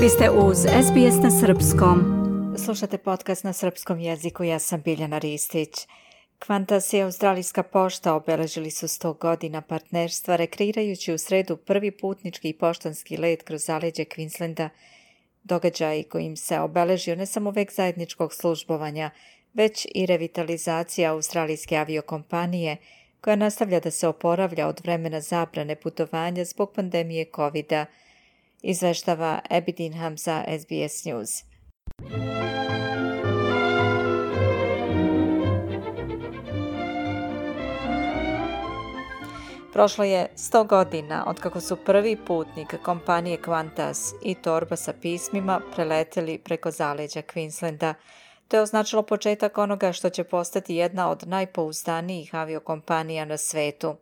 Vi ste uz SBS na srpskom. Slušate podcast na srpskom jeziku, ja sam Biljana Ristić. Qantas i Australijska pošta obeležili su 100 godina partnerstva, rekreirajući u sredu prvi putnički i poštanski let kroz zaleđe Queenslanda, događaj kojim se obeležio ne samo vek zajedničkog službovanja, već i revitalizacija australijske aviokompanije, koja nastavlja da se oporavlja od vremena zabrane putovanja zbog pandemije COVID-a, izveštava Abby Dinham za SBS News. Prošlo je 100 godina otkako su prvi putnik kompanije Qantas i torba sa pismima preleteli preko zaleđa Queenslanda. To je označilo početak onoga što će postati jedna od najpouzdanijih aviokompanija na svetu.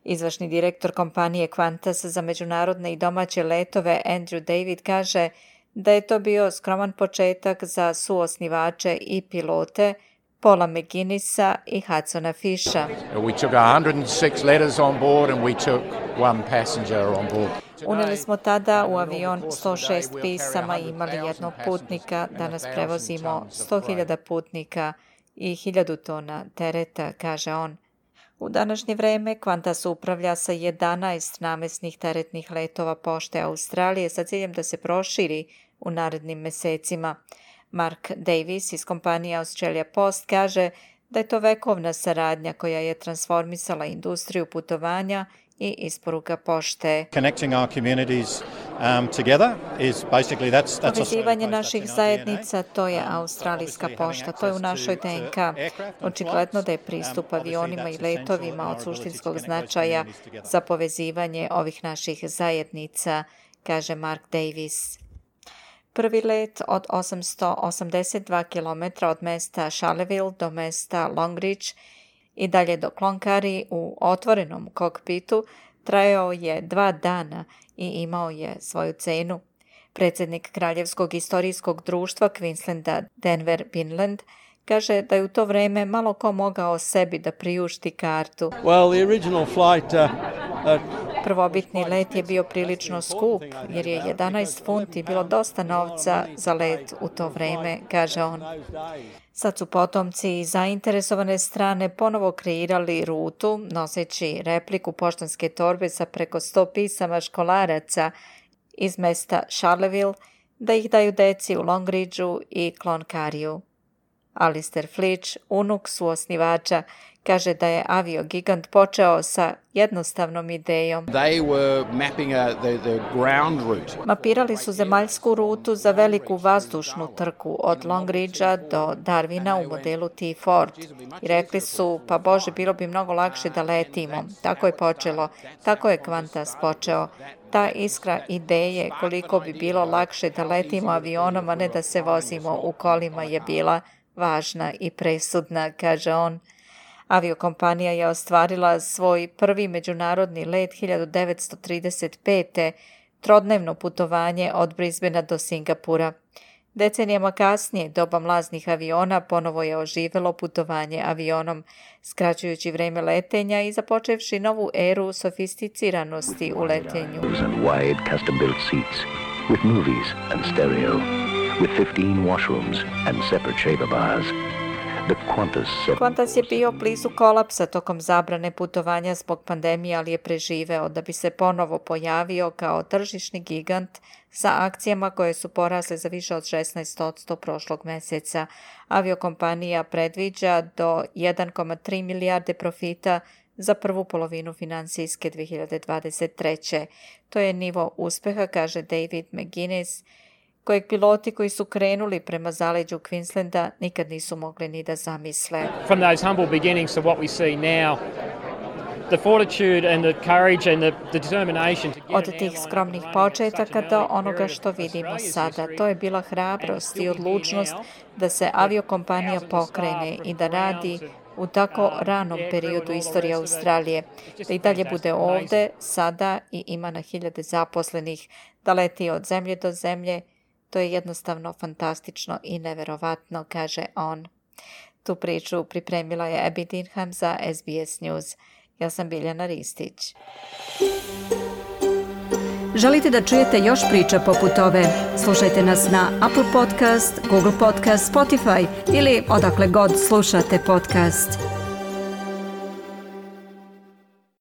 Izvršni direktor kompanije Qantas za međunarodne i domaće letove Andrew David kaže da je to bio skroman početak za suosnivače i pilote Paula McGuinnessa i Hudsona Fisha. We took 106 letters on board and we took one passenger on board. Uneli smo tada u avion 106 pisama i imali jednog putnika, danas prevozimo 100.000 putnika i 1000 tona tereta, kaže on. U današnje vreme Qantas upravlja sa 11 namesnih teretnih letova pošte Australije sa ciljem da se proširi u narednim mesecima. Mark Davis iz kompanije Australia Post kaže da je to vekovna saradnja koja je transformisala industriju putovanja i isporuka pošte. Povezivanje naših zajednica, to je australijska pošta, to je u našoj DNK. Očigledno da je pristup avionima i letovima od suštinskog značaja za povezivanje ovih naših zajednica, kaže Mark Davis. Prvi let od 882 km od mesta Charleville do mesta Longreach i dalje do Cloncurry u otvorenom kokpitu trajao je 2 dana i imao je svoju cenu. Predsjednik Kraljevskog istorijskog društva Queenslanda Denver Binland kaže da je u to vreme malo ko mogao sebi da priušti kartu. Prvobitni let je bio prilično skup, jer je 11 funti bilo dosta novca za let u to vreme, kaže on. Sad su potomci i zainteresovane strane ponovo kreirali rutu, noseći repliku poštanske torbe sa preko 100 pisama školaraca iz mesta Charleville, da ih daju deci u Longreachu i Cloncurryu. Alistair Flitch, unuk suosnivača, kaže da je aviogigant počeo sa jednostavnom idejom. Mapirali su zemaljsku rutu za veliku vazdušnu trku od Longreacha do Darwina u modelu T-Ford. I rekli su, pa Bože, bilo bi mnogo lakše da letimo. Tako je počelo, tako je Qantas počeo. Ta iskra ideje koliko bi bilo lakše da letimo avionom, a ne da se vozimo u kolima, je bila važna i presudna, kaže on. Aviokompanija je ostvarila svoj prvi međunarodni let 1935. trodnevno putovanje od Brisbanea do Singapura. Decenijama kasnije, doba mlaznih aviona, ponovo je oživelo putovanje avionom, skraćujući vreme letenja i započevši novu eru sofisticiranosti u letenju. With 15 washrooms and separate shaver bars. Qantas je bio blizu kolapsa tokom zabrane putovanja zbog pandemije, ali je preživeo da bi se ponovo pojavio kao tržišni gigant sa akcijama koje su porasle za više od 16% prošlog meseca. Aviokompanija predviđa do 1,3 milijarde profita za prvu polovinu finansijske 2023. To je nivo uspeha, kaže David McGuinness, kojeg piloti koji su krenuli prema zaleđu Queenslanda nikad nisu mogli ni da zamisle. From those humble beginnings to what we see now, the fortitude and the courage and the determination to get Od tih skromnih početaka do onoga što vidimo sada, to je bila hrabrost i odlučnost da se aviokompanija pokrene i da radi u tako ranom periodu istorije Australije, da i dalje bude ovde, sada i ima na 1000 zaposlenih, da leti od zemlje do zemlje. To je jednostavno fantastično i neverovatno, kaže on. Tu priču pripremila je Abby Dinham za SBS News. Ja sam Biljana Ristić. Želite da čujete još priča poput ove? Slušajte nas na Apple Podcast, Google Podcast, Spotify ili odakle god slušate podcast.